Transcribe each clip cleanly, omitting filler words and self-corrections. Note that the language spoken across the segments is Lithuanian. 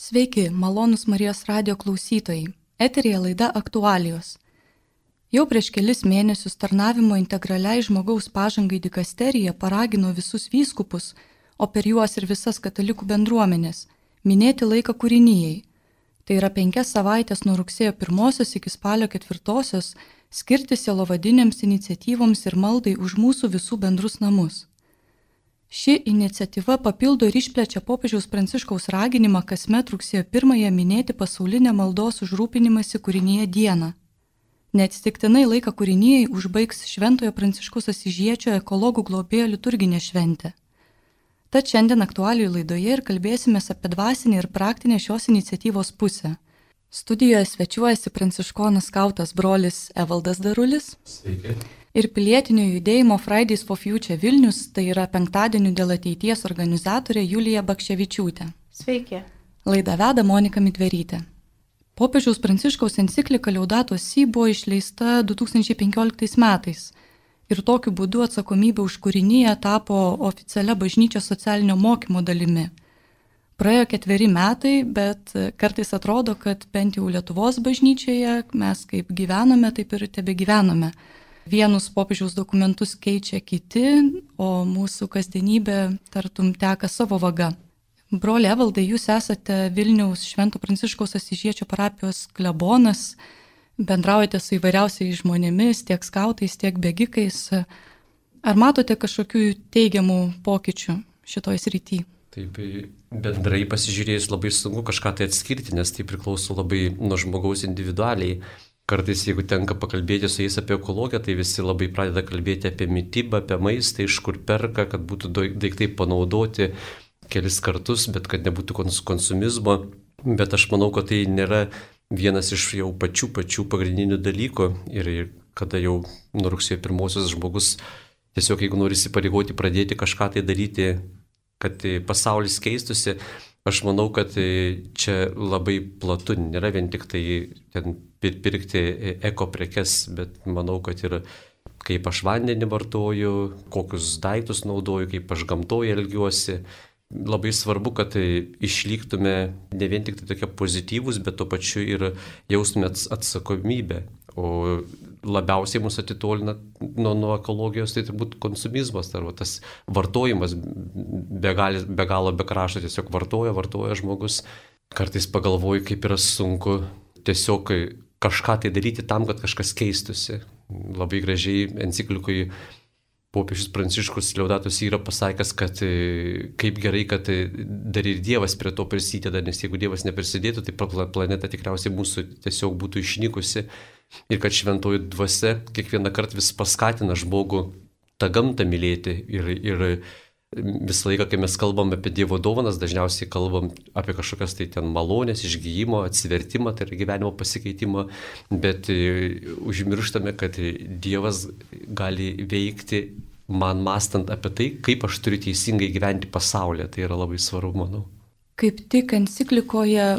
Sveiki, malonūs Marijos radijo klausytojai. Eteryje laida Aktualijos. Jau prieš kelis mėnesius tarnavimo integraliai žmogaus pažangai dikasterija paragino visus vyskupus, o per juos ir visas katalikų bendruomenės, minėti laiką kūrinijai. Tai yra 5 savaitės nuo rugsėjo 1 iki spalio 4 skirti sielovadinėms iniciatyvoms ir maldai už mūsų visų bendrus namus. Ši iniciatyva papildo ir išplečia popiežiaus Pranciškaus raginimą kasmet rugsėjo 1 minėti pasaulinę maldos už rūpinimąsi kūrinyje dieną. Neatsitiktinai laiką kūrinijai užbaigs Šventojo Pranciškaus Asyžiečio ekologų globėjo liturginė šventė. Tad šiandien aktualijų laidoje ir kalbėsime apie dvasinę ir praktinę šios iniciatyvos pusę. Studijoje svečiuojasi pranciškonas skautas brolis Evaldas Darulis. Sveiki. Ir pilietinio judėjimo Fridays for Future Vilnius, tai yra penktadienių dėl ateities organizatorė Julija Bakševičiūtė. Sveiki. Laidą veda Monika Midverytė. Popiežiaus Pranciškaus enciklika Laudato Si buvo išleista 2015 metais ir tokiu būdu atsakomybė už kūriniją tapo oficialia bažnyčios socialinio mokymo dalimi. Praėjo 4 metai, bet kartais atrodo, kad bent jau Lietuvos bažnyčioje mes kaip gyvename, taip ir tebegyvename. Vienus popiežiaus dokumentus keičia kiti, o mūsų kasdienybė tartum teka savo vaga. Broli Evaldai, jūs esate Vilniaus Švento Pranciškaus Asyžiečio parapijos klebonas, bendraujate su įvairiausiais žmonėmis, tiek skautais, tiek bėgikais. Ar matote kažkokių teigiamų pokyčių šitoj srity? Taip, bendrai pasižiūrėjus labai sunku kažką tai atskirti, nes tai priklauso labai nuo žmogaus individualiai. Kartais, jeigu tenka pakalbėti su jais apie ekologiją, tai visi labai pradeda kalbėti apie mitybą, apie maistą, iš kur perka, kad būtų daiktai panaudoti kelis kartus, bet kad nebūtų konsumizmo. Bet aš manau, kad tai nėra vienas iš jau pačių pagrindinių dalykų. Ir kada jau nuo rugsėjo 1 žmogus tiesiog, jeigu nori įsipareigoti pradėti kažką tai daryti, kad pasaulis keistusi, aš manau, kad čia labai platu, nėra vien tik tai ten pirkti eko prekes, bet manau, kad ir kaip aš vandenį vartoju, kokius daiktus naudoju, kaip aš gamtoje elgiuosi. Labai svarbu, kad išliktume ne vien tik tai tokie pozityvūs, bet tuo pačiu ir jaustume atsakomybę. O labiausiai mus atitolina nuo ekologijos, tai turbūt konsumizmas, arba tas vartojimas be galo be krašto, tiesiog vartoja žmogus. Kartais pagalvoju, kaip yra sunku tiesiog kažką tai daryti tam, kad kažkas keistusi. Labai gražiai enciklikui popiežius Pranciškus Laudato Si yra pasakęs, kad kaip gerai, kad dar ir Dievas prie to prisideda, nes jeigu Dievas neprisidėtų, tai planeta tikriausiai mūsų tiesiog būtų išnykusi. Ir kad šventoji dvasia kiekvieną kartą vis paskatina žmogų tą gamtą mylėti. Ir visą laiką, kai mes kalbam apie Dievo dovanas, dažniausiai kalbam apie kažkokias tai ten malonės, išgyjimo, atsivertimą, tai yra gyvenimo pasikeitimą, bet užmirštame, kad Dievas gali veikti man mąstant apie tai, kaip aš turiu teisingai gyventi pasaulyje. Tai yra labai svarbu, manau. Kaip tik enciklikoje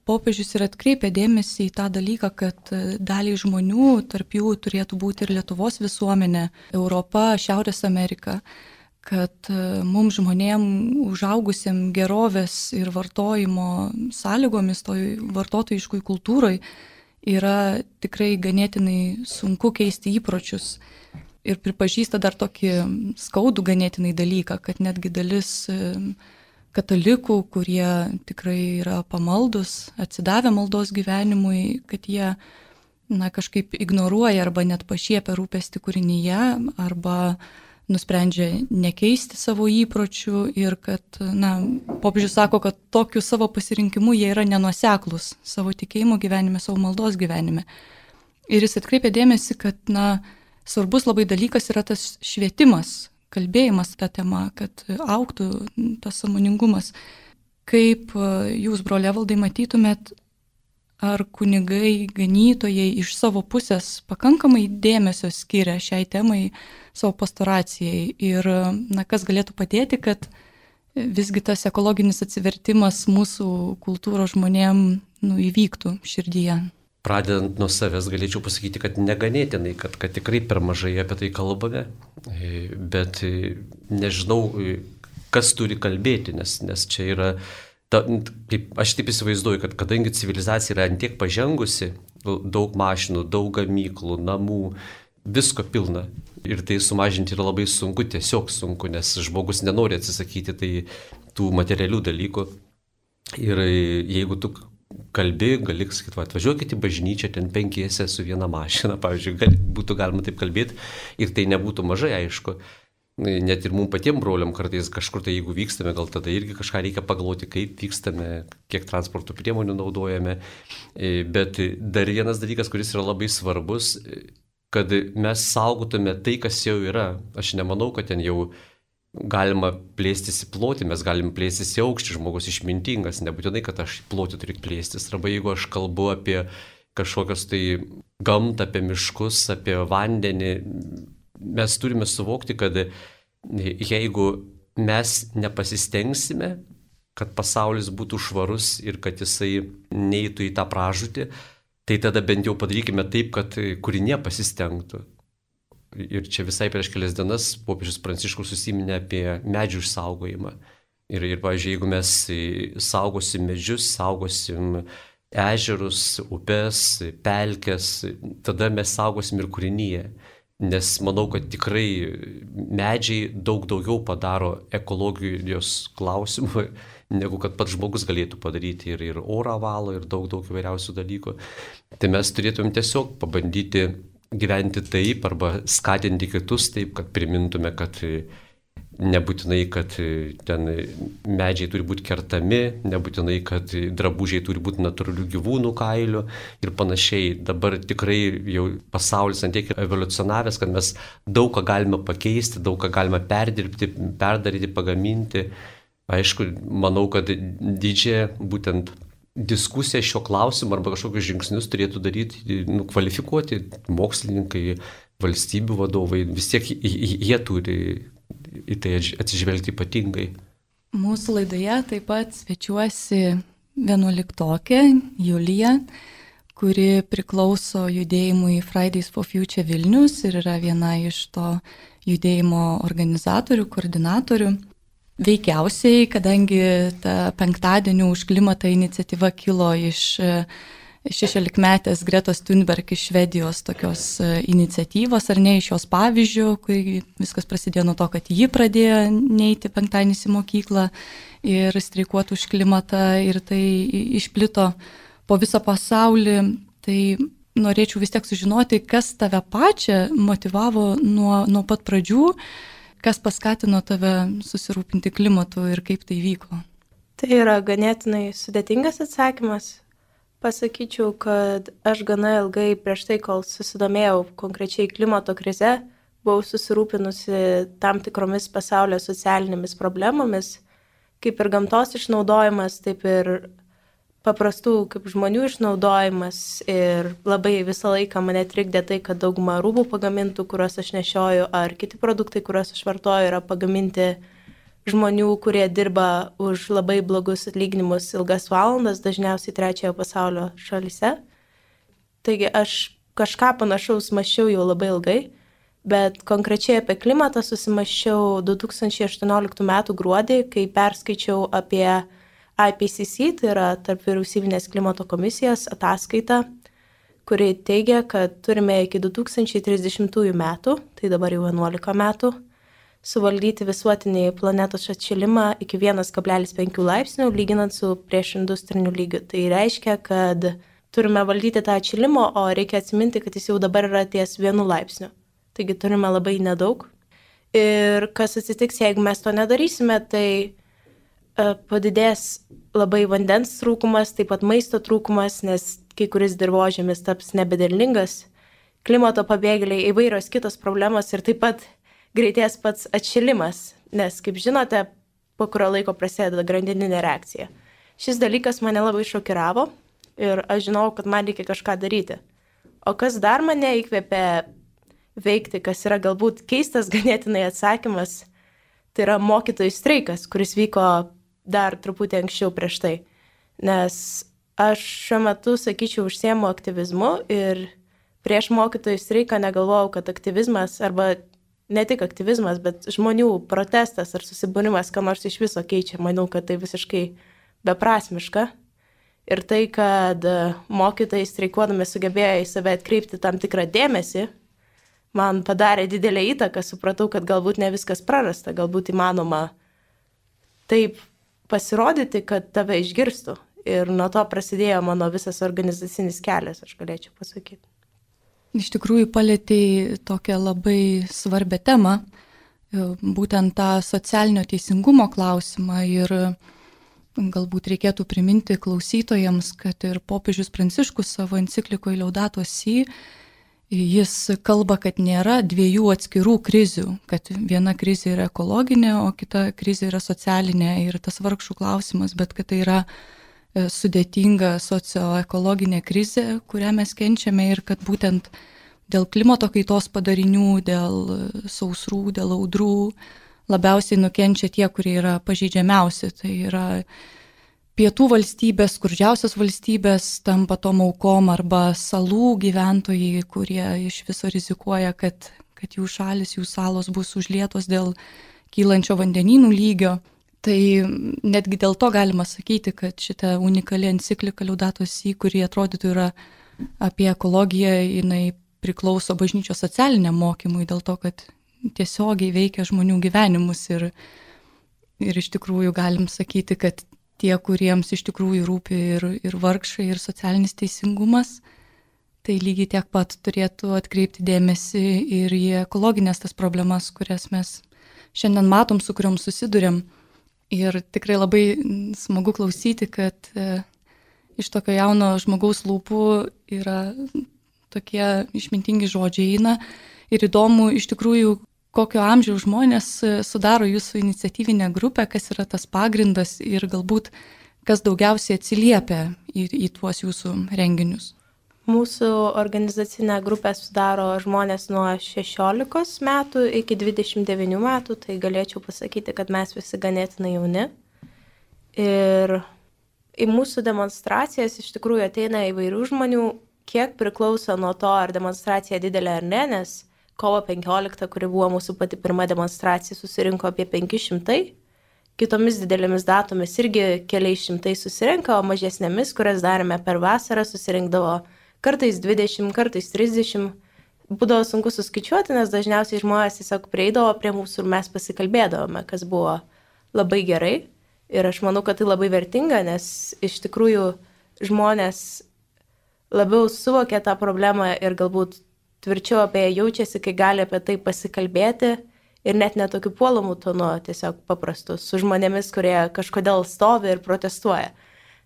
popiežius ir atkreipia dėmesį į tą dalyką, kad daliai žmonių, tarp jų turėtų būti ir Lietuvos visuomenė, Europa, Šiaurės Amerika, kad mums žmonėm užaugusiem gerovės ir vartojimo sąlygomis, toj vartotojiškoj kultūroj, yra tikrai ganėtinai sunku keisti įpročius. Ir pripažįsta dar tokį skaudų ganėtinai dalyką, kad netgi dalis katalikų, kurie tikrai yra pamaldus, atsidavę maldos gyvenimui, kad jie kažkaip ignoruoja arba net pašiepia rūpestį kūrinyje, arba nusprendžia nekeisti savo įpročių ir kad, popiežius sako, kad tokiu savo pasirinkimu jie yra nenuoseklus savo tikėjimo gyvenime, savo maldos gyvenime. Ir jis atkreipia dėmesį, kad, svarbus labai dalykas yra tas švietimas, kalbėjimas tą temą, kad augtų tas sąmoningumas. Kaip jūs, broli Evaldai, matytumėt, ar kunigai, ganytojai iš savo pusės pakankamai dėmesio skiria šiai temai savo pastoracijai ir kas galėtų padėti, kad visgi tas ekologinis atsivertimas mūsų kultūros žmonėm įvyktų širdyje? Pradedant nuo savęs galėčiau pasakyti, kad neganėtinai, kad tikrai per mažai apie tai kalbame, bet nežinau, kas turi kalbėti, nes čia yra Aš taip įsivaizduoju, kad kadangi civilizacija yra antiek pažengusi, daug mašinų, daug gamyklų, namų, visko pilna. Ir tai sumažinti yra labai sunku, tiesiog sunku, nes žmogus nenori atsisakyti tų materialių dalykų. Ir jeigu tu kalbi, gali sakyti, atvažiuokit į bažnyčią, ten 5 su viena mašina, pavyzdžiui, būtų galima taip kalbėti, ir tai nebūtų mažai, aišku. Net ir mums patiems broliam kartais kažkur tai, jeigu vykstame, gal tada irgi kažką reikia pagalvoti, kaip vykstame, kiek transporto priemonių naudojame. Bet dar vienas dalykas, kuris yra labai svarbus, kad mes saugotume tai, kas jau yra. Aš nemanau, kad ten jau galima plėstis į plotį, mes galim plėstis į aukštį, žmogus išmintingas, nebūtinai, kad aš plotį turiu plėstis. Arba jeigu aš kalbu apie kažkokios tai gamtą, apie miškus, apie vandenį, mes turime suvokti, kad jeigu mes nepasistengsime, kad pasaulis būtų švarus ir kad jisai neitų į tą pražūtį, tai tada bent jau padarykime taip, kad kūrinė pasistengtų. Ir čia visai prieš kelias dienas popiežius Pranciškus užsiminė apie medžių išsaugojimą. Ir pavyzdžiui, jeigu mes saugosim medžius, saugosim ežerus, upes, pelkes, tada mes saugosim ir kūrinyje. Nes manau, kad tikrai medžiai daug daugiau padaro ekologijos klausimų, negu kad pats žmogus galėtų padaryti, ir orą valo, ir daug įvairiausių dalykų. Tai mes turėtumėm tiesiog pabandyti gyventi taip arba skatinti kitus taip, kad primintume, kad nebūtinai, kad ten medžiai turi būti kertami, nebūtinai, kad drabužiai turi būti natūralių gyvūnų kailių ir panašiai. Dabar tikrai jau pasaulis antiek evoliucionavęs, kad mes daug ką galime pakeisti, daug ką galime perdirbti, perdaryti, pagaminti. Aišku, manau, kad didžiąją būtent diskusiją šio klausimu arba kažkokius žingsnius turėtų daryti, kvalifikuoti mokslininkai, valstybių vadovai. Vis tiek jie turi į tai atsižvelgti ypatingai. Mūsų laidoje taip pat svečiuosi 11-okė Julija, kuri priklauso judėjimui Fridays for Future Vilnius ir yra viena iš to judėjimo organizatorių, koordinatorių. Veikiausiai, kadangi ta penktadienio už klimatą iniciatyva kilo iš 16-metės Gretos Thunberg iš Švedijos tokios iniciatyvos, ar ne, iš jos pavyzdžių, kai viskas prasidėjo nuo to, kad ji pradėjo neiti penktadienį į mokyklą ir streikuoti už klimatą, ir tai išplito po visą pasaulį. Tai norėčiau vis tiek sužinoti, kas tave pačią motyvavo nuo pat pradžių, kas paskatino tave susirūpinti klimatu ir kaip tai vyko. Tai yra ganėtinai sudėtingas atsakymas. Pasakyčiau, kad aš gana ilgai prieš tai, kol susidomėjau konkrečiai klimato krize, buvau susirūpinusi tam tikromis pasaulio socialinėmis problemomis, kaip ir gamtos išnaudojimas, taip ir paprastų kaip žmonių išnaudojimas. Ir labai visą laiką mane trikdė tai, kad dauguma rūbų pagamintų, kuriuos aš nešioju, ar kiti produktai, kuriuos aš vartoju, yra pagaminti žmonių, kurie dirba už labai blogus atlyginimus ilgas valandas, dažniausiai trečiojo pasaulio šalyse. Taigi aš kažką panašaus mąsčiau jau labai ilgai, bet konkrečiai apie klimatą susimąsčiau 2018 m. gruodį, kai perskaičiau apie IPCC, tai yra tarp vyriausybinės klimato komisijos ataskaitą, kuri teigia, kad turime iki 2030 metų, tai dabar jau 11 metų, suvaldyti visuotinį planetos atšilimą iki 1,5 laipsnių, lyginant su priešindustriniu lygiu. Tai reiškia, kad turime valdyti tą atšilimą, o reikia atsiminti, kad jis jau dabar yra ties 1 laipsniu. Taigi turime labai nedaug. Ir kas atsitiks, jeigu mes to nedarysime, tai padidės labai vandens trūkumas, taip pat maisto trūkumas, nes kai kuris dirvožemis taps nebederlingas, klimato pabėgėliai, įvairios kitos problemos ir taip pat greitės pats atšilimas, nes, kaip žinote, po kurio laiko prasideda grandininė reakcija. Šis dalykas mane labai šokiravo ir aš žinau, kad man reikia kažką daryti. O kas dar mane įkvėpė veikti, kas yra galbūt keistas ganėtinai atsakymas, tai yra mokytojų streikas, kuris vyko dar truputį anksčiau prieš tai. Nes aš šiuo metu, sakyčiau, užsiemu aktyvizmu ir prieš mokytojų streiką negalvojau, kad aktyvizmas arba ne tik aktyvizmas, bet žmonių protestas ar susibūrimas, ką nors iš viso keičia. Manau, kad tai visiškai beprasmiška. Ir tai, kad mokytojai streikuodami sugebėjo į save atkreipti tam tikrą dėmesį, man padarė didelę įtaką, supratau, kad galbūt ne viskas prarasta, galbūt įmanoma taip pasirodyti, kad tave išgirstų. Ir nuo to prasidėjo mano visas organizacinis kelias, aš galėčiau pasakyti. Iš tikrųjų palėtei tokią labai svarbę temą, būtent tą socialinio teisingumo klausimą, ir galbūt reikėtų priminti klausytojams, kad ir popiežius Pranciškus savo enciklikoje Laudato Si, jis kalba, kad nėra dviejų atskirų krizių, kad viena krizė yra ekologinė, o kita krizė yra socialinė ir tas vargšų klausimas, bet kad tai yra sudėtinga socioekologinė krizė, kurią mes kenčiame, ir kad būtent dėl klimato kaitos padarinių, dėl sausrų, dėl audrų labiausiai nukenčia tie, kurie yra pažeidžiamiausi. Tai yra pietų valstybės, skurdžiausios valstybės tampa tom aukom, arba salų gyventojai, kurie iš viso rizikuoja, kad jų šalis, jų salos bus užlietos dėl kylančio vandenynų lygio. Tai netgi dėl to galima sakyti, kad šita unikali enciklika Laudato Si, kuri atrodytų yra apie ekologiją, jinai priklauso bažnyčios socialiniam mokymui, dėl to, kad tiesiogiai veikia žmonių gyvenimus, ir iš tikrųjų galim sakyti, kad tie, kuriems iš tikrųjų rūpi ir vargšai, ir socialinis teisingumas, tai lygiai tiek pat turėtų atkreipti dėmesį ir į ekologinės tas problemas, kurias mes šiandien matom, su kuriuom susidurėm. Ir tikrai labai smagu klausyti, kad iš tokio jauno žmogaus lūpų yra tokie išmintingi žodžiai eina. Ir įdomu iš tikrųjų, kokio amžiaus žmonės sudaro jūsų iniciatyvinę grupę, kas yra tas pagrindas ir galbūt kas daugiausiai atsiliepia į tuos jūsų renginius. Mūsų organizacinę grupę sudaro žmonės nuo 16 metų iki 29 metų, tai galėčiau pasakyti, kad mes visi ganėtinai jauni. Ir į mūsų demonstracijas iš tikrųjų ateina įvairių žmonių, kiek priklauso nuo to, ar demonstracija didelė ar ne, nes kovo 15, kuri buvo mūsų pati pirma demonstracija, susirinko apie 500. Kitomis didelėmis datomis irgi keliais šimtai susirinka, o mažesnėmis, kurias darėme per vasarą, susirinkdavo kartais 20, kartais 30. Būdavo sunku suskaičiuoti, nes dažniausiai žmonės tiesiog prieidavo prie mūsų ir mes pasikalbėdavome, kas buvo labai gerai. Ir aš manau, kad tai labai vertinga, nes iš tikrųjų žmonės labiau suvokia tą problemą ir galbūt tvirčiau apie ją jaučiasi, kai gali apie tai pasikalbėti ir net netokiu puolamu tonu, tiesiog paprastus, su žmonėmis, kurie kažkodėl stovi ir protestuoja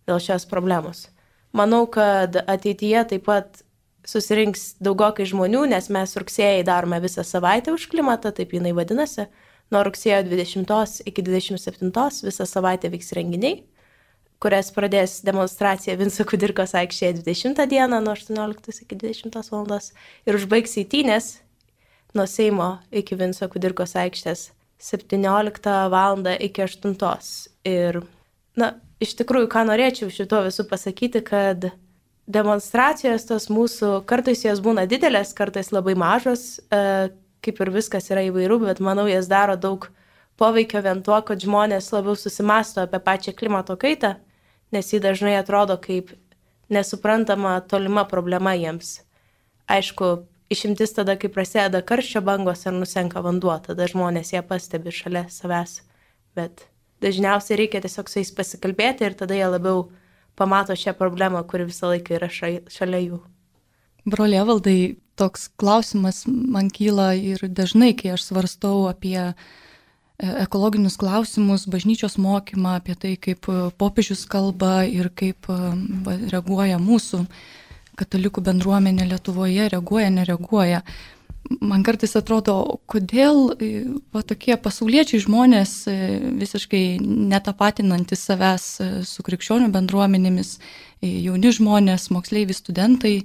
dėl šios problemos. Manau, kad ateityje taip pat susirinks daugokai žmonių, nes mes rugsėjai darome visą savaitę už klimatą, taip jinai vadinasi. Nuo rugsėjo 20 iki 27 visą savaitę vyks renginiai, kurias pradės demonstracija Vinco Kudirkos aikštėje 20 dieną nuo 18 iki 20 valandos ir užbaigs eitynės nuo Seimo iki Vinco Kudirkos aikštės 17 valandą iki 8. Ir, iš tikrųjų, ką norėčiau šito visų pasakyti, kad demonstracijos tos mūsų, kartais jos būna didelės, kartais labai mažos, kaip ir viskas yra įvairių, bet manau, jas daro daug poveikio vien tuo, kad žmonės labiau susimasto apie pačią klimato kaitą, nes ji dažnai atrodo kaip nesuprantama tolima problema jiems. Aišku, išimtis tada, kai prasideda karščio bangos ar nusenka vanduo, tada žmonės ją pastebi šalia savęs, bet dažniausiai reikia tiesiog su jais pasikalbėti ir tada jie labiau pamato šią problemą, kuri visą laiką yra šalia jų. Broli Evaldai, toks klausimas man kyla ir dažnai, kai aš svarstau apie ekologinius klausimus, bažnyčios mokymą, apie tai, kaip popiežius kalba ir kaip reaguoja mūsų katalikų bendruomenė Lietuvoje, reaguoja, nereaguoja. Man kartais atrodo, kodėl tokie pasauliečiai žmonės, visiškai netapatinantys savęs su krikščionių bendruomenėmis, jauni žmonės, moksleiviai, studentai,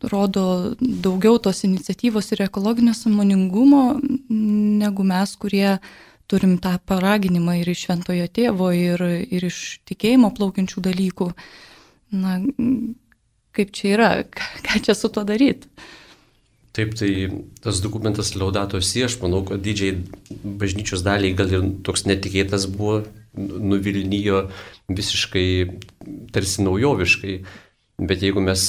rodo daugiau tos iniciatyvos ir ekologinio sąmoningumo negu mes, kurie turim tą paraginimą ir iš Šventojo Tėvo, ir iš tikėjimo plaukiančių dalykų. Kaip čia yra, ką čia su tuo daryti? Taip, tai tas dokumentas Laudato Si, aš manau, kad didžiai bažnyčios daliai gal ir toks netikėtas buvo nuvilnijo visiškai tarsi naujoviškai. Bet jeigu mes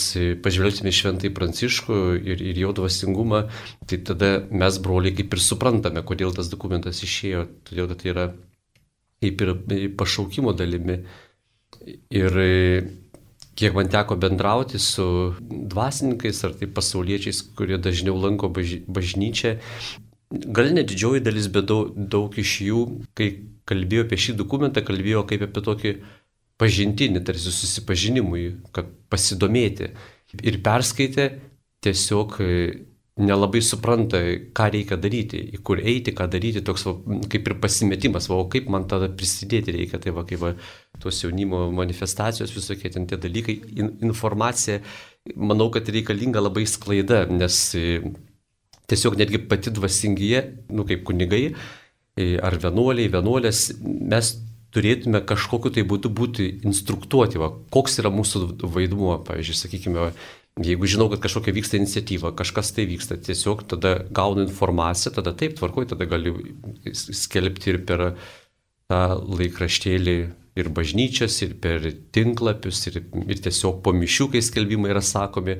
pažvelgsime Šventąjį Pranciškų ir jo dvasingumą, tai tada mes, broliai, kaip ir suprantame, kodėl tas dokumentas išėjo, todėl kad tai yra kaip ir pašaukimo dalimi. Ir kiek man teko bendrauti su dvasininkais ar tai pasauliečiais, kurie dažniau lanko bažnyčią, gal ne didžioji dalis, bet daug iš jų, kai kalbėjo apie šį dokumentą, kalbėjo kaip apie tokį pažintinį, tarsi susipažinimui, kad pasidomėti. Ir perskaitė, tiesiog nelabai supranta, ką reikia daryti, į kur eiti, ką daryti, toks kaip ir pasimetimas, o kaip man tada prisidėti reikia, tai kaip tos jaunimo manifestacijos visokie ten tie dalykai, informacija, manau, kad reikalinga labai sklaida, nes tiesiog netgi pati dvasingija, kaip kunigai, ar vienuolės, mes turėtume kažkokiu tai būdu būti instruktuoti, koks yra mūsų vaidmuo, pavyzdžiui, sakykime, jeigu žinau, kad kažkokia vyksta iniciatyva, kažkas tai vyksta, tiesiog tada gaunu informaciją, tada taip tvarkoju, tada galiu skelbti ir per tą laikraštėlį ir bažnyčias, ir per tinklapius, ir tiesiog po mišių, kai skelbimai yra sakomi.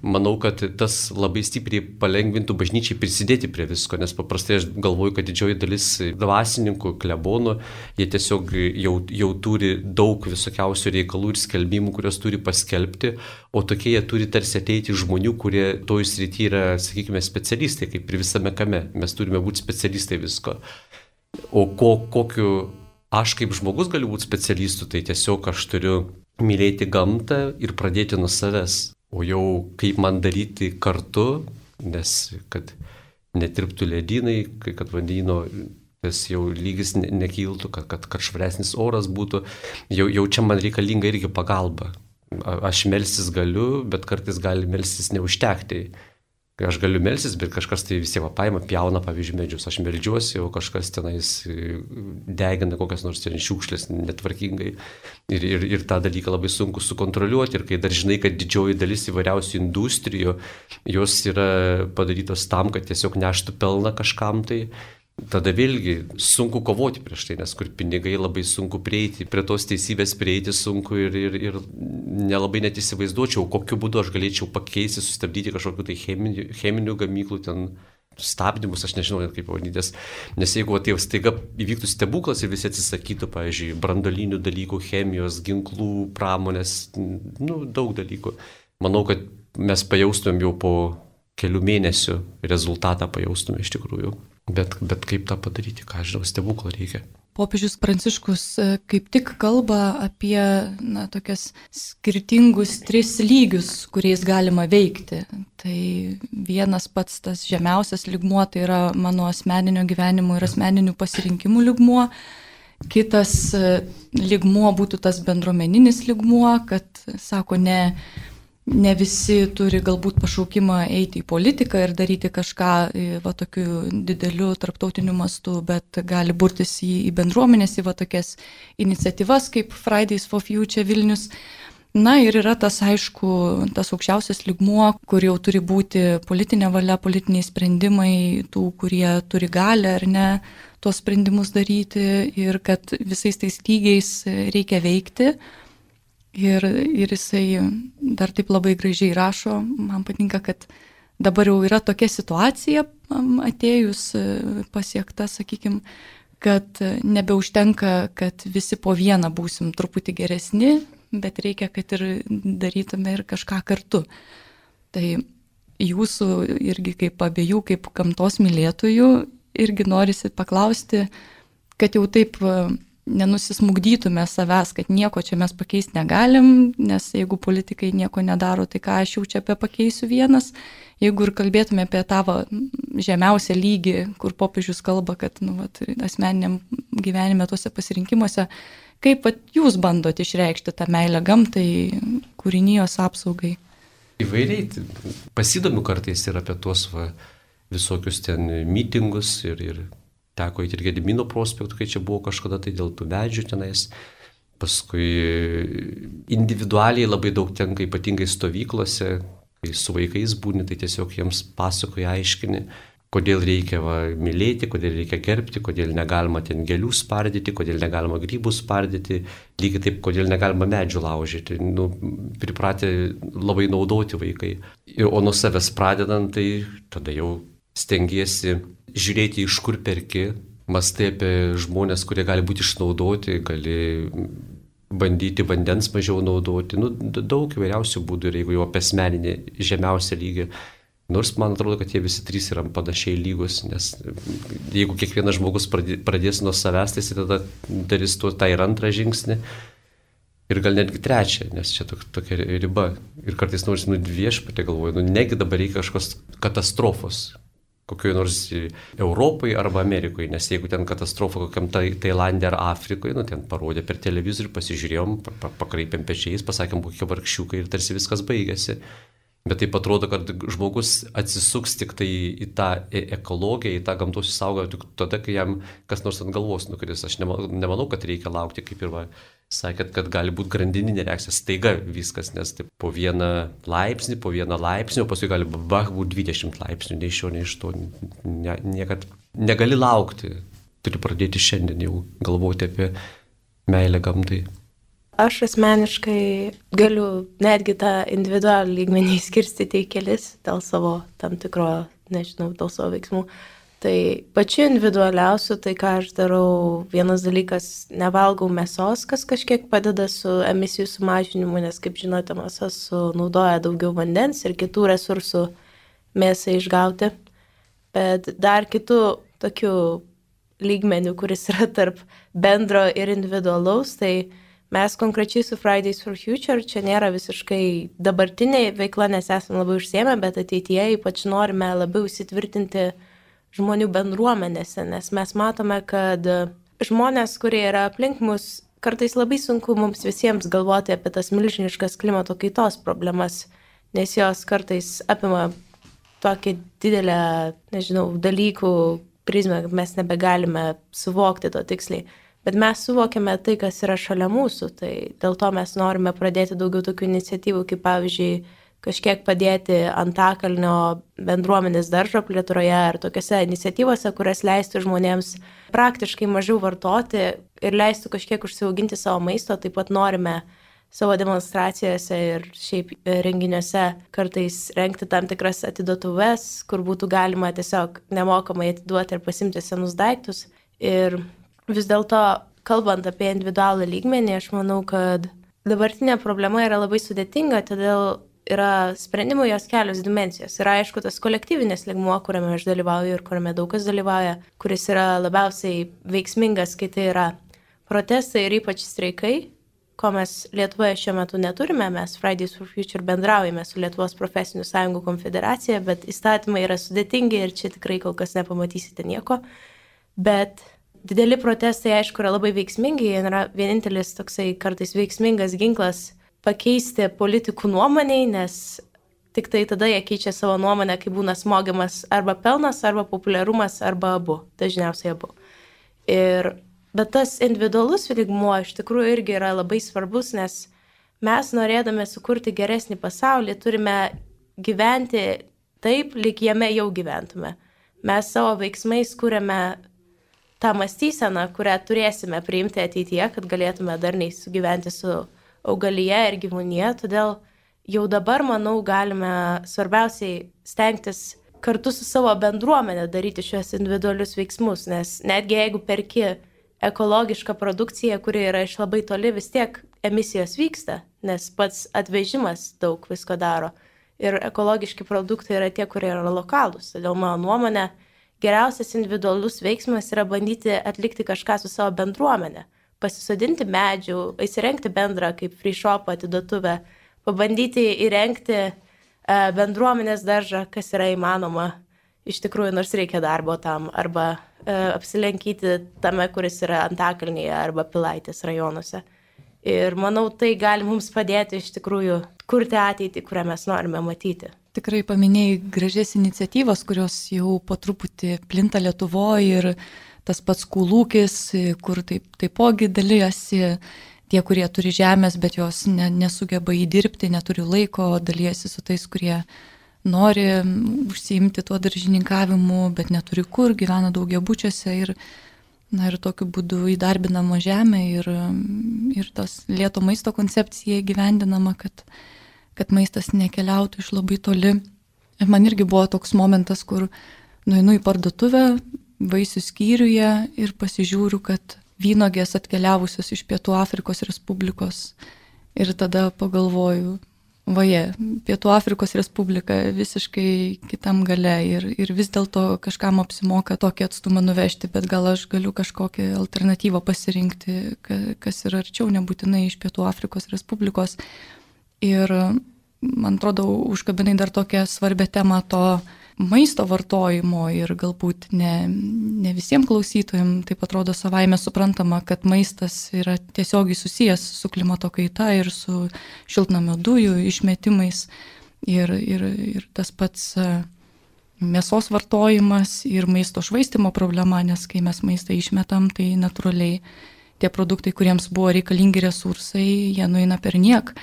Manau, kad tas labai stipriai palengvintų bažnyčiai prisidėti prie visko, nes paprastai aš galvoju, kad didžioji dalis dvasininkų, klebonų, jie tiesiog jau turi daug visokiausių reikalų ir skelbimų, kurios turi paskelbti, o tokie jie turi tarsi ateiti žmonių, kurie toj srity yra, sakykime, specialistai, kaip ir visame kame. Mes turime būti specialistai visko. O kokiu aš kaip žmogus galiu būti specialistu, tai tiesiog aš turiu mylėti gamtą ir pradėti nuo savęs. O jau kaip man daryti kartu, nes kad netirptų ledynai, kad vandenyno tas jau lygis nekiltų, kad švaresnis oras būtų, jau čia man reikalinga irgi pagalba. Aš melstis galiu, bet kartais gali melstis neužtekti. Aš galiu melstis, bet kažkas tai vis tiek paima, pjauna, pavyzdžiui, medžius. Aš meldžiuosi, o kažkas tenais degina kokias nors šiukšlės netvarkingai. Ir tą dalyką labai sunku sukontroliuoti. Ir kai dar žinai, kad didžioji dalis įvairiausių industrijų, jos yra padarytos tam, kad tiesiog neštų pelną kažkam tai, tada vėlgi sunku kovoti prieš tai, nes kur pinigai labai sunku prieiti, prie tos teisybės prieiti sunku ir nelabai net įsivaizduočiau, kokiu būdu aš galėčiau pakeisti, sustabdyti kažkokiu tai cheminių gamyklų ten stabdymus, aš nežinau net kaip pavadintis, nes jeigu tai staiga įvyktų stebuklas ir visi atsisakytų, pavyzdžiui, branduolinių dalykų, chemijos, ginklų, pramonės, daug dalykų, manau, kad mes pajaustumėm jau po kelių mėnesių rezultatą pajaustumėm iš tikrųjų. Bet kaip tą padaryti, ką žinau, stebuklo reikia. Popiežius Pranciškus kaip tik kalba apie tokias skirtingus 3 lygius, kuriais galima veikti. Tai vienas pats tas žemiausias lygmuo, tai yra mano asmeninio gyvenimo ir asmeninių pasirinkimų lygmuo. Kitas lygmuo būtų tas bendruomeninis lygmuo, kad, sako, ne visi turi galbūt pašaukimą eiti į politiką ir daryti kažką tokiu dideliu tarptautiniu mastu, bet gali burtis į bendruomenės, į tokias iniciatyvas kaip Fridays for Future Vilnius. Ir yra tas, aišku, tas aukščiausias lygmuo, kur jau turi būti politinė valia, politiniai sprendimai tų, kurie turi galią ar ne tuos sprendimus daryti ir kad visais tais lygiais reikia veikti. Ir jisai dar taip labai gražiai rašo, man patinka, kad dabar jau yra tokia situacija atėjus pasiekta, sakykime, kad nebeužtenka, kad visi po vieną būsim truputį geresni, bet reikia, kad ir darytume ir kažką kartu. Tai jūsų irgi kaip abiejų, kaip gamtos mylėtojų, irgi norisi paklausti, kad jau taip nenusismugdytume savęs, kad nieko čia mes pakeisti negalim, nes jeigu politikai nieko nedaro, tai ką aš jau čia apie pakeisiu vienas. Jeigu ir kalbėtume apie tavo žemiausią lygį, kur popiežius kalba, kad asmeniniam gyvenime tuose pasirinkimuose, kaip jūs bandot išreikšti tą meilę gamtai, kūrinijos apsaugai? Įvairiai, pasidomiu kartais ir apie tuos visokius ten mitingus ir teko įti ir Gedimino prospektų, kai čia buvo kažkada tai dėl tų medžių tenais. Paskui individualiai labai daug tenka, ypatingai stovyklose, kai su vaikais būni, tai tiesiog jiems pasakoja, aiškini, kodėl reikia mylėti, kodėl reikia gerbti, kodėl negalima ten gėlių spardyti, kodėl negalima grybų spardyti, lygiai taip, kodėl negalima medžių laužyti. Pripratę labai naudoti vaikai. O nuo savęs pradedant, tai tada jau stengiesi žiūrėti, iš kur perki, mąstai apie žmonės, kurie gali būti išnaudoti, gali bandyti vandens mažiau naudoti. Daug įvairiausių būdų ir jeigu jau apie asmeninį žemiausią lygį. Nors man atrodo, kad jie visi trys yra panašiai lygus, nes jeigu kiekvienas žmogus pradės nuo savęs, tai jis tada darys tą ir antrą žingsnį ir gal netgi trečią, nes čia tokia riba. Ir kartais nors viešpatė galvoju, negi dabar reikia kažkokios katastrofos, kokioje nors Europai arba Amerikoje, nes jeigu ten katastrofa kokiam Tailande ar Afrikoje, ten parodė per televizorių, pasižiūrėjom, pakreipėm pečiais, pasakėm, kokie vargšiukai ir tarsi viskas baigėsi. Bet taip atrodo, kad žmogus atsisuks tik tai į tą ekologiją, į tą gamtos išsaugojimą tik tada, kai jam kas nors ant galvos nukris. Aš nemanau, kad reikia laukti, kaip ir sakėt, kad gali būti grandininė reakcija, staiga viskas, nes taip, po vieną laipsnį, o paskui gali būti 20 laipsnių, nei iš šio, nei iš to. Niekad negali laukti, turi pradėti šiandien jau galvoti apie meilę gamtai. Aš asmeniškai galiu netgi tą individualų lygmenį skirstyti į kelis dėl savo tam tikro, dėl savo veiksmų. Tai pačiu individualiausiu, tai ką aš darau, vienas dalykas, nevalgau mėsos, kas kažkiek padeda su emisijų sumažinimu, nes, kaip žinote, mėsa sunaudoja daugiau vandens ir kitų resursų mėsai išgauti. Bet dar kitų tokių lygmenių, kuris yra tarp bendro ir individualaus, tai mes konkrečiai su Fridays for Future, čia nėra visiškai dabartinė veikla, nes esame labai užsiėmę, bet ateityje ypač norime labiau įsitvirtinti žmonių bendruomenėse, nes mes matome, kad žmonės, kurie yra aplink mus, kartais labai sunku mums visiems galvoti apie tas milžiniškas klimato kaitos problemas, nes jos kartais apima tokį didelę, dalykų prizmę, kad mes nebegalime suvokti to tiksliai. Bet mes suvokiame tai, kas yra šalia mūsų, tai dėl to mes norime pradėti daugiau tokių iniciatyvų, kaip pavyzdžiui, kažkiek padėti Antakalnio bendruomenės daržo plėtroje ar tokiose iniciatyvose, kurias leistų žmonėms praktiškai mažiau vartoti ir leistų kažkiek užsiauginti savo maisto. Taip pat norime savo demonstracijose ir šiaip renginiuose kartais rengti tam tikras atiduotuves, kur būtų galima tiesiog nemokamai atiduoti ir pasimti senus daiktus. Ir vis dėlto, kalbant apie individualų lygmenį, aš manau, kad dabartinė problema yra labai sudėtinga, todėl yra sprendimų jos kelios dimensijos. Yra aišku tas kolektyvinis lygmuo, kuriame aš dalyvauju ir kuriame daug kas dalyvauja, kuris yra labiausiai veiksmingas, kai tai yra protestai ir ypač streikai, ko mes Lietuvoje šiuo metu neturime. Mes Fridays for Future bendraujame su Lietuvos profesinių sąjungų konfederacija, bet įstatymai yra sudėtingi ir čia tikrai kol kas nepamatysite nieko. Bet dideli protestai, aišku, yra labai veiksmingi, jie yra vienintelis toksai kartais veiksmingas ginklas pakeisti politikų nuomoniai, nes tik tai tada jie keičia savo nuomonę, kai būna smogiamas arba pelnas, arba populiarumas, arba abu, dažniausiai abu. Bet tas individualus lygmuo iš tikrųjų irgi yra labai svarbus, nes mes norėdami sukurti geresnį pasaulį turime gyventi taip, lyg jame jau gyventume. Mes savo veiksmais kuriame tą mąstyseną, kurią turėsime priimti ateityje, kad galėtume darniai sugyventi su augalyje ir gyvūnyje. Todėl jau dabar, manau, galime svarbiausiai stengtis kartu su savo bendruomenė daryti šios individualius veiksmus, nes netgi jeigu perki ekologišką produkciją, kuri yra iš labai toli, vis tiek emisijos vyksta, nes pats atvežimas daug visko daro. Ir ekologiški produktai yra tie, kurie yra lokalūs. Todėl mano nuomonė, geriausias individualus veiksmas yra bandyti atlikti kažką su savo bendruomenė. Pasisodinti medžių, įsirengti bendrą kaip free shop atiduotuvę, pabandyti įrengti bendruomenės daržą, kas yra įmanoma. Iš tikrųjų, nors reikia darbo tam, arba apsilankyti tame, kuris yra Antakalnyje arba Pilaitės rajonuose. Ir manau, tai gali mums padėti iš tikrųjų kurti ateitį, kurią mes norime matyti. Tikrai paminėjai gražias iniciatyvas, kurios jau po truputį plinta Lietuvoje ir tas pats Kūlūkis, kur taipogi dalyjasi tie, kurie turi žemės, bet jos nesugeba įdirbti, neturi laiko, dalyjasi su tais, kurie nori užsiimti tuo daržininkavimu, bet neturi kur, gyvena daugiabučiuose ir tokiu būdu įdarbinama žemė ir tas lėto maisto koncepcija įgyvendinama, kad maistas nekeliautų iš labai toli. Ir man irgi buvo toks momentas, kur nueinu į parduotuvę, vaisių skyriuje ir pasižiūriu, kad vynogės atkeliavusios iš Pietų Afrikos Respublikos. Ir tada pagalvoju, Pietų Afrikos Respublika visiškai kitam gale ir vis dėlto kažkam apsimoka tokį atstumą nuvežti, bet gal aš galiu kažkokią alternatyvą pasirinkti, kas yra arčiau, nebūtinai iš Pietų Afrikos Respublikos. Ir man atrodo, užkabinai dar tokią svarbę temą to maisto vartojimo ir galbūt ne visiems klausytojams taip atrodo savaime suprantama, kad maistas yra tiesiogiai susijęs su klimato kaita ir su šiltnamio dujų išmetimais ir tas pats mėsos vartojimas ir maisto švaistimo problema, nes kai mes maistą išmetam, tai natūraliai tie produktai, kuriems buvo reikalingi resursai, jie nueina per niek.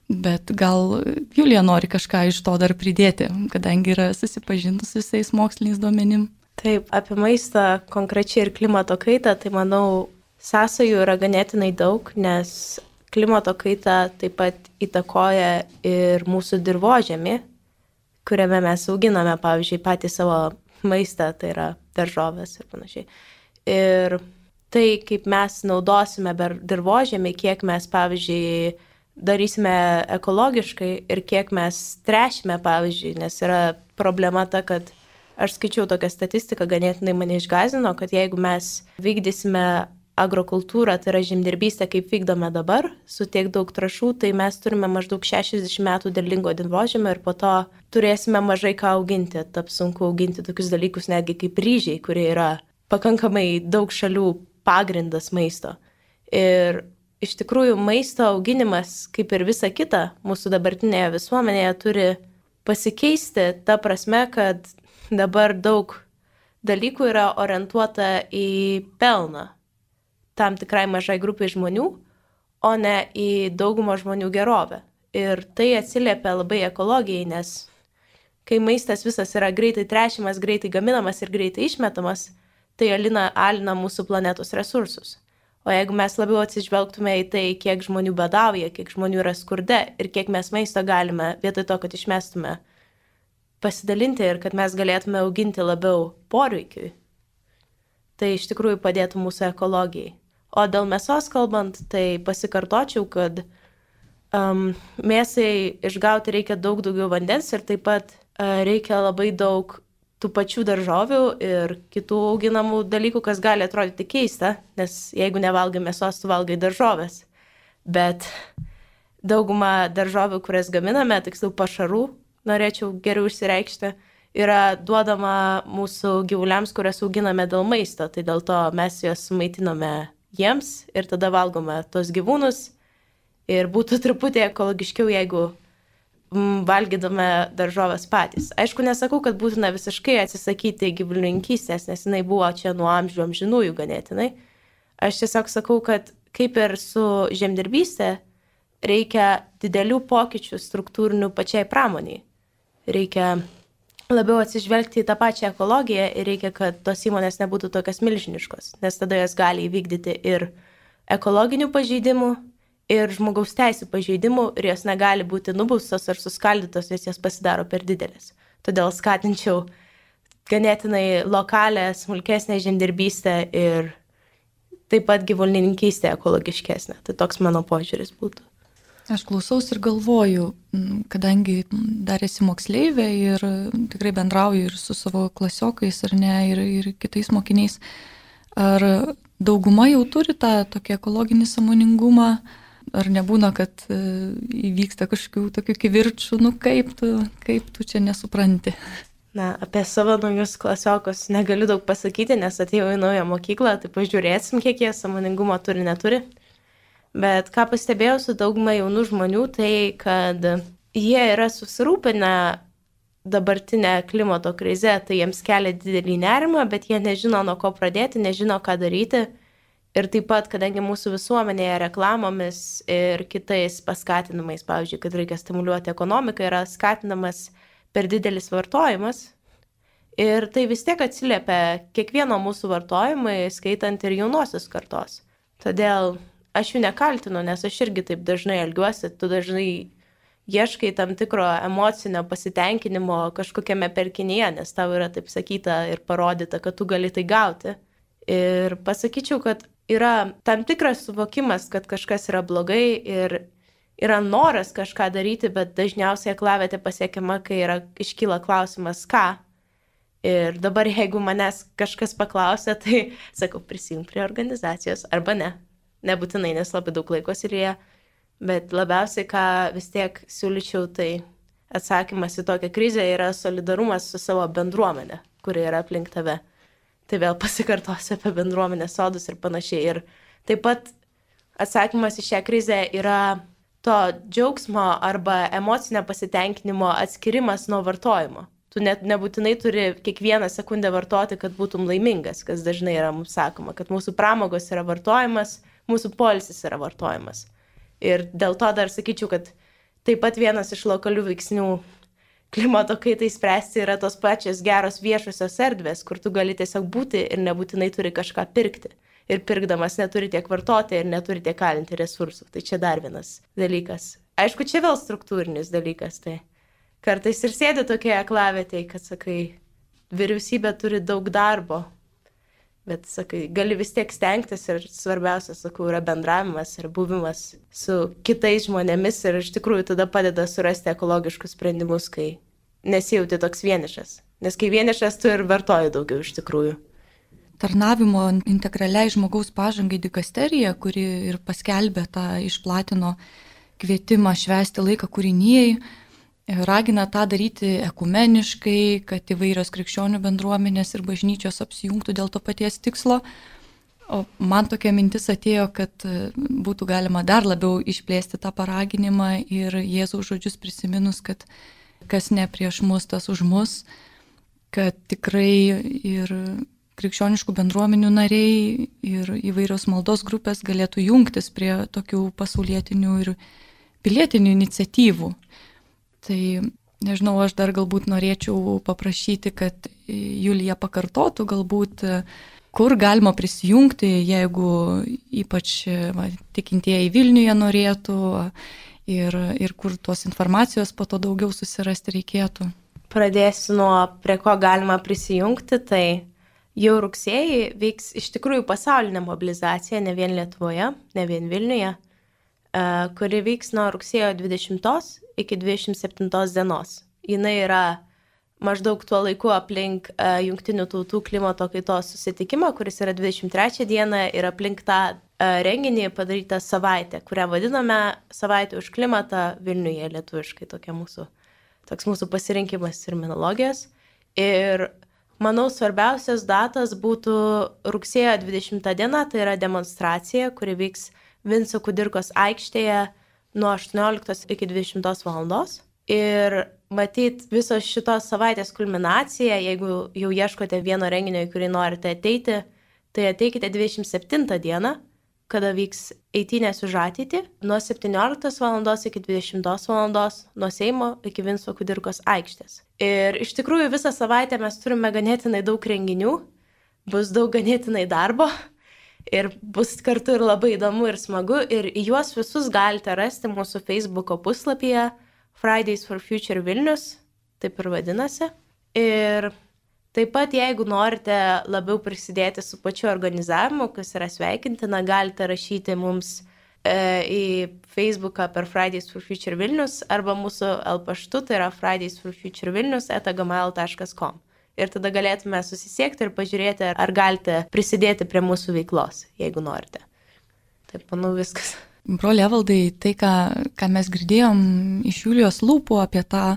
Bet gal Julija nori kažką iš to dar pridėti, kadangi yra susipažinus visais moksliniais duomenim. Taip, apie maistą konkrečiai ir klimato kaitą, tai manau, sąsajų yra ganėtinai daug, nes klimato kaita taip pat įtakoja ir mūsų dirvožemį, kuriame mes auginame, pavyzdžiui, patį savo maistą, tai yra daržovės ir panašiai. Ir tai, kaip mes naudosime dirvožemį, kiek mes, pavyzdžiui, darysime ekologiškai ir kiek mes tręšime, pavyzdžiui, nes yra problema ta, kad aš skaičiau tokią statistiką, ganėtinai mane išgąsdino, kad jeigu mes vykdysime agrokultūrą, tai yra žemdirbystę, kaip vykdome dabar, su tiek daug trąšų, tai mes turime maždaug 60 metų derlingo dirvožemio ir po to turėsime mažai ką auginti. Taps sunku auginti tokius dalykus netgi kaip ryžiai, kurie yra pakankamai daug šalių pagrindas maisto. Ir iš tikrųjų, maisto auginimas, kaip ir visa kita, mūsų dabartinėje visuomenėje turi pasikeisti ta prasme, kad dabar daug dalykų yra orientuota į pelną tam tikrai mažai grupai žmonių, o ne į daugumą žmonių gerovę. Ir tai atsiliepia labai ekologijai, nes kai maistas visas yra greitai tręšiamas, greitai gaminamas ir greitai išmetamas, tai alina mūsų planetos resursus. O jeigu mes labiau atsižvelgtume į tai, kiek žmonių badauja, kiek žmonių yra skurde ir kiek mes maisto galime, vietoj to, kad išmestume, pasidalinti ir kad mes galėtume auginti labiau poreikiui, tai iš tikrųjų padėtų mūsų ekologijai. O dėl mėsos kalbant, tai pasikartočiau, kad mėsai išgauti reikia daug daugiau vandens ir taip pat reikia labai daug tų pačių daržovių ir kitų auginamų dalykų, kas gali atrodyti keista, nes jeigu nevalgai mėsos, tu valgai daržovės. Bet dauguma daržovių, kurias gaminame, tiksliau pašarų, norėčiau geriau išsireikšti, yra duodama mūsų gyvuliams, kurias auginame dėl maisto. Tai dėl to mes juos maitiname jiems ir tada valgome tos gyvūnus. Ir būtų truputį ekologiškiau, jeigu valgydame daržovės patys. Aišku, nesakau, kad būtina visiškai atsisakyti gyvulininkystės, nes jinai buvo čia nuo amžių amžinųjų ganėtinai. Aš tiesiog sakau, kad kaip ir su žemdirbystė, reikia didelių pokyčių struktūrinių pačiai pramoniai. Reikia labiau atsižvelgti į tą pačią ekologiją ir reikia, kad tos įmonės nebūtų tokios milžiniškos, nes tada jos gali įvykdyti ir ekologinių pažeidimų, ir žmogaus teisų pažeidimų, ir jos negali būti nubaustos ar suskaldytos, nes jas pasidaro per didelės. Todėl skatinčiau ganėtinai lokalę, smulkesnę žemdirbystę ir taip pat gyvulininkystę ekologiškesnę. Tai toks mano požiūris būtų. Aš klausaus ir galvoju, kadangi dar esi moksleivė ir tikrai bendrauju ir su savo klasiokais ar ne, ir kitais mokiniais, ar dauguma jau turi tą tokį ekologinį sąmoningumą, ar nebūna, kad įvyksta kažkokių tokių kivirčų, kaip tu čia nesupranti? Na, apie savo naujus klasiokus negaliu daug pasakyti, nes atėjau į naują mokyklą, tai pažiūrėsim, kiek jie sąmoningumo turi, neturi. Bet ką pastebėjau su dauguma jaunų žmonių, tai kad jie yra susirūpinę dabartinę klimato krizę, tai jiems kelia didelį nerimą, bet jie nežino, nuo ko pradėti, nežino, ką daryti. Ir taip pat, kadangi mūsų visuomenėje reklamomis ir kitais paskatinimais, pavyzdžiui, kad reikia stimuliuoti ekonomiką, yra skatinamas per didelis vartojimas. Ir tai vis tiek atsiliepia kiekvieno mūsų vartojimui, skaitant ir jaunosios kartos. Todėl aš jų nekaltinu, nes aš irgi taip dažnai elgiuosi, tu dažnai ieškai tam tikro emocinio pasitenkinimo kažkokiame perkinyje, nes tau yra taip sakyta ir parodyta, kad tu gali tai gauti. Ir pasakyčiau, kad yra tam tikras suvokimas, kad kažkas yra blogai ir yra noras kažką daryti, bet dažniausiai aklavietė pasiekiama, kai iškyla klausimas, ką. Ir dabar jeigu manęs kažkas paklausia, tai sakau, prisijung prie organizacijos arba ne. Nebūtinai, nes labai daug laiko silėje, bet labiausiai, ką vis tiek siūlyčiau, tai atsakymas į tokią krizę yra solidarumas su savo bendruomenė, kuri yra aplink tave. Tai vėl pasikartosiu apie bendruomenės sodus ir panašiai. Ir taip pat atsakymas į šią krizę yra to džiaugsmo arba emocinio pasitenkinimo atskirimas nuo vartojimo. Tu net nebūtinai turi kiekvieną sekundę vartoti, kad būtum laimingas, kas dažnai yra mums sakoma, kad mūsų pramogos yra vartojimas, mūsų poilsis yra vartojimas. Ir dėl to dar sakyčiau, kad taip pat vienas iš lokalių veiksnių klimato kaitai spręsti yra tos pačios geros viešosios erdvės, kur tu gali tiesiog būti ir nebūtinai turi kažką pirkti. Ir pirkdamas neturi tiek vartoti ir neturi tiek kalinti resursų. Tai čia dar vienas dalykas. Aišku, čia vėl struktūrinis dalykas. Tai kartais ir sėdi tokie aklavietėje, kad sakai, vyriausybė turi daug darbo. Bet, sakai, gali vis tiek stengtis ir svarbiausia, sakau, yra bendravimas ir buvimas su kitais žmonėmis ir iš tikrųjų tada padeda surasti ekologiškus sprendimus, kai nesijauti toks vienišas. Nes kai vienišas, tu ir vartoji daugiau iš tikrųjų. Tarnavimo integraliai žmogaus pažangai dikasterija, kuri ir paskelbė išplatino kvietimą švęsti laiką kūrinijai, ragina tą daryti ekumeniškai, kad įvairios krikščionių bendruomenės ir bažnyčios apsijungtų dėl to paties tikslo. O man tokia mintis atėjo, kad būtų galima dar labiau išplėsti tą paraginimą ir Jėzaus žodžius prisiminus, kad kas ne prieš mus, tas už mus, kad tikrai ir krikščioniškų bendruomenių nariai ir įvairios maldos grupės galėtų jungtis prie tokių pasaulietinių ir pilietinių iniciatyvų. Tai, nežinau, aš dar galbūt norėčiau paprašyti, kad Julija pakartotų galbūt, kur galima prisijungti, jeigu ypač tikintieji Vilniuje norėtų ir kur tos informacijos po to daugiau susirasti reikėtų. Pradėsiu nuo prie ko galima prisijungti, tai jau rugsėjį vyks iš tikrųjų pasaulinė mobilizacija, ne vien Lietuvoje, ne vien Vilniuje, kuri vyks nuo rugsėjo 20 iki 27 dienos. Jinai yra maždaug tuo laiku aplink Jungtinių tautų klimato kaitos susitikimą, kuris yra 23 dieną ir aplink tą renginį padarytą savaitę, kurią vadiname savaitė už klimatą Vilniuje lietuviškai, toks mūsų pasirinkimas terminologijos. Ir manau, svarbiausias datas būtų rugsėjo 20 diena, tai yra demonstracija, kuri vyks Vinco Kudirkos aikštėje nuo 18 iki 20 valandos. Ir matyt, visos šitos savaitės kulminacija, jeigu jau ieškote vieno renginio, į kurį norite ateiti, tai ateikite 27 dieną, kada vyks eitynės už ateitį, nuo 17 valandos iki 20 valandos, nuo Seimo iki Vinco Kudirkos aikštės. Ir iš tikrųjų visą savaitę mes turime ganėtinai daug renginių, bus daug ganėtinai darbo ir bus kartu ir labai įdomu ir smagu. Ir juos visus galite rasti mūsų Facebooko puslapyje Fridays for Future Vilnius, taip ir vadinasi. Ir taip pat, jeigu norite labiau prisidėti su pačiu organizavimu, kas yra sveikintina, galite rašyti mums į Facebooką per Fridays for Future Vilnius arba mūsų paštu, tai yra fridaysforfuturevilnius@gmail.com. Ir tada galėtume susisiekti ir pažiūrėti, ar galite prisidėti prie mūsų veiklos, jeigu norite. Taip, manau, viskas. Broli Evaldai, tai, ką mes girdėjom iš Julijos lūpų apie tą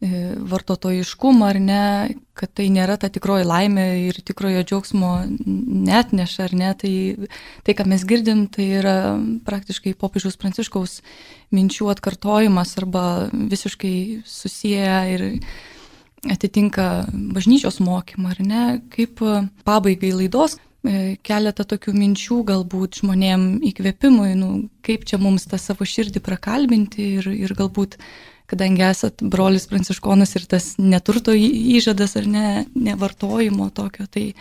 vartotojiškumą, ar ne, kad tai nėra ta tikroji laimė ir tikrojo džiaugsmo neatneša, ar ne, tai ką mes girdim, tai yra praktiškai popiežiaus Pranciškaus minčių atkartojimas arba visiškai susiję ir atitinka bažnyčios mokymą, ar ne, kaip pabaigai laidos keletą tokių minčių galbūt žmonėm įkvėpimui, kaip čia mums tą savo širdį prakalbinti ir galbūt kadangi esat brolis pranciškonas ir tas neturto įžadas ar nevartojimo tokio, tai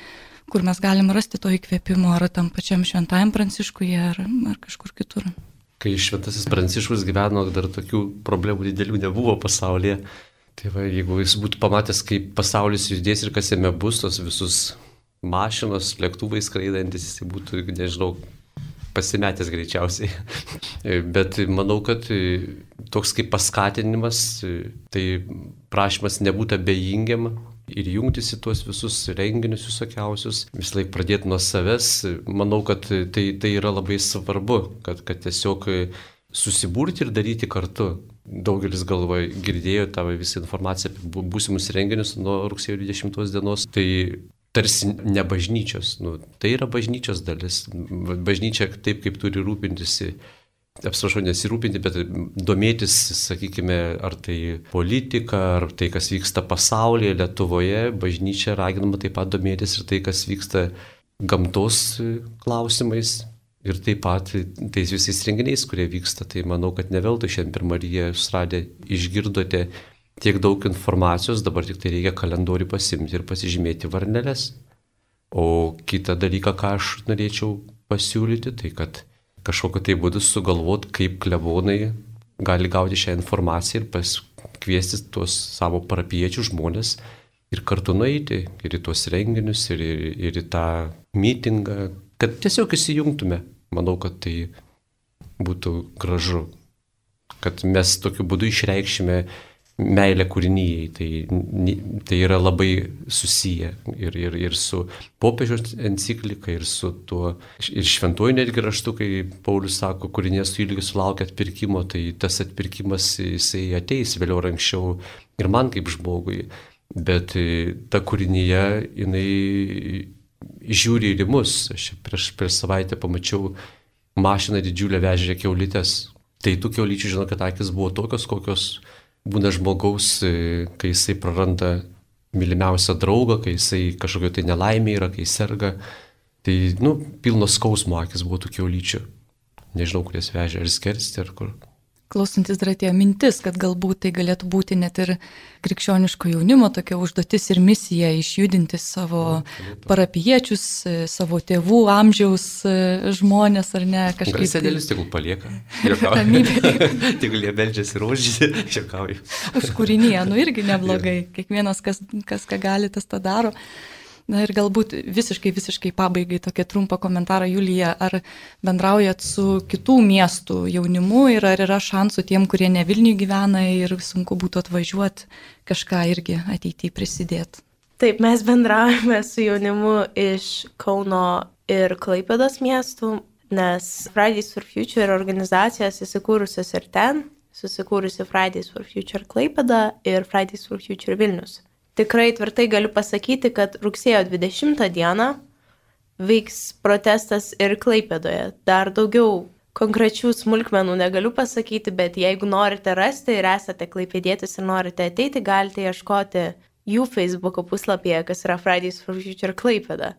kur mes galim rasti to įkvėpimo, ar tam pačiam šventajam Pranciškuje, ar kažkur kitur. Kai šventasis Pranciškus gyveno, dar tokių problemų didelių nebuvo pasaulyje. Tai va, jeigu jis būtų pamatęs, kaip pasaulis judės ir kas jame bus, tos visus mašinos, lėktuvai skraidantis, jis būtų, nežinau, pasimetęs greičiausiai. Bet manau, kad toks kaip paskatinimas, tai prašymas nebūti abejingiam ir jungtis į tuos visus renginius visokiausius, vis laik pradėti nuo savęs. Manau, kad tai yra labai svarbu, kad tiesiog susibūrti ir daryti kartu. Daugelis galvoja, girdėjo tą visą informaciją apie būsimus renginius nuo rugsėjo 20 dienos. Tai tarsi ne bažnyčios. Tai yra bažnyčios dalis. Bažnyčia taip, kaip turi rūpintis, apsirašau nesirūpinti, bet domėtis, sakykime, ar tai politika, ar tai, kas vyksta pasaulyje, Lietuvoje. Bažnyčia raginama taip pat domėtis ir tai, kas vyksta gamtos klausimais. Ir taip pat tais visais renginiais, kurie vyksta. Tai manau, kad ne veltui šiandien per Mariją jūs radę išgirdote tiek daug informacijos, dabar tik tai reikia kalendorių pasimti ir pasižymėti varneles. O kitą dalyką, ką aš norėčiau pasiūlyti, tai kad kažkokiu tai būdu sugalvot, kaip klebonai gali gauti šią informaciją ir paskviesti tuos savo parapijiečių žmonės ir kartu nueiti ir į tuos renginius, ir į tą mitingą, kad tiesiog įsijungtume. Manau, kad tai būtų gražu, kad mes tokiu būdu išreikšime meilę kūrinijai. Tai yra labai susiję ir su popiežiaus enciklika, ir su tuo, ir šventuoju netgi raštu, kai Paulius sako, kūrinės tu ilgi sulaukia atpirkimo, tai tas atpirkimas jisai ateis vėliau ar anksčiau ir man kaip žmogui. Bet ta kūrinyje, jinai žiūri ir į mus. Aš prieš savaitę pamačiau mašiną didžiulę vežė kiaulytės. Tai tų kiaulyčių, žinau, kad akis buvo tokios, kokios būna žmogaus, kai jisai praranda mylimiausią draugą, kai jisai kažkokio tai nelaimė yra, kai serga. Tai, pilnos skausmo akis buvo tų kiaulyčių. Nežinau, kur jas vežė, ar skersti, ar kur. Klausantis dar atėjo mintis, kad galbūt tai galėtų būti net ir krikščioniško jaunimo tokia užduotis ir misija išjudinti savo parapijiečius, savo tėvų amžiaus žmonės, ar ne, kažkaip. Sėdėlis tegul palieka. Tegul jie beldžiasi ir užžydė, šiekauju. Už kūrinyje, irgi neblogai. Kiekvienas, kas ką gali, tas tą daro. Na ir galbūt visiškai pabaigai tokį trumpą komentarą, Julija, ar bendraujat su kitų miestų jaunimu ir ar yra šansų tiem, kurie ne Vilniuje gyvena ir sunku būtų atvažiuoti, kažką irgi ateityje prisidėti? Taip, mes bendraujame su jaunimu iš Kauno ir Klaipėdos miestų, nes Fridays for Future organizacijos įsikūrusios ir ten, susikūrusi Fridays for Future Klaipėda ir Fridays for Future Vilnius. Tikrai tvirtai galiu pasakyti, kad rugsėjo 20 dieną vyks protestas ir Klaipėdoje. Dar daugiau konkrečių smulkmenų negaliu pasakyti, bet jeigu norite rasti ir esate klaipėdietis ir norite ateiti, galite ieškoti jų Facebook'o puslapyje, kas yra Fridays for Future Klaipėda.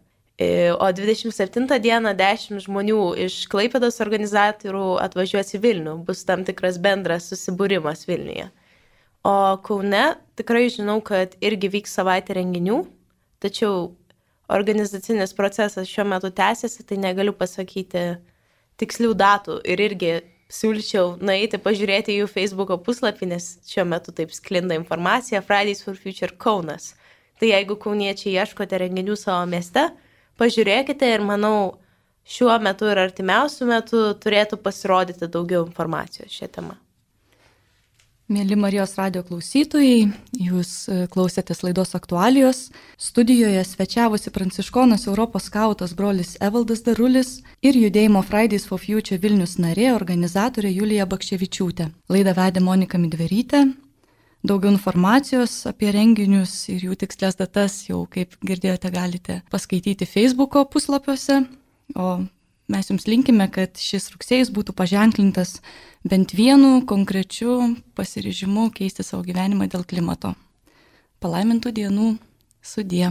O 27 dieną 10 žmonių iš Klaipėdos organizatorių atvažiuos į Vilnių. Bus tam tikras bendras susibūrimas Vilniuje. O Kaune tikrai žinau, kad irgi vyks savaitė renginių, tačiau organizacinis procesas šiuo metu tęsiasi, tai negaliu pasakyti tikslių datų ir irgi siūlyčiau nueiti pažiūrėti jų Facebook'o puslapį, nes šiuo metu taip sklinda informacija Fridays for Future Kaunas. Tai jeigu kauniečiai ieškote renginių savo mieste, pažiūrėkite ir manau, šiuo metu ir artimiausiu metu turėtų pasirodyti daugiau informacijos šią temą. Mėly Marijos radijo klausytojai, jūs klausėtės laidos aktualijos. Studijoje svečiavosi pranciškonas Europos skautas brolis Evaldas Darulis ir judėjimo Fridays for Future Vilnius narė, organizatorė Julija Bakščevičiūtė. Laidą vedė Monika Midverytė. Daugiau informacijos apie renginius ir jų tikslės datas jau, kaip girdėjote, galite paskaityti Facebook'o puslapiuose. O mes jums linkime, kad šis rugsėjis būtų paženklintas bent vienu konkrečiu pasiryžimu keisti savo gyvenimą dėl klimato. Palaimintų dienų, sudie.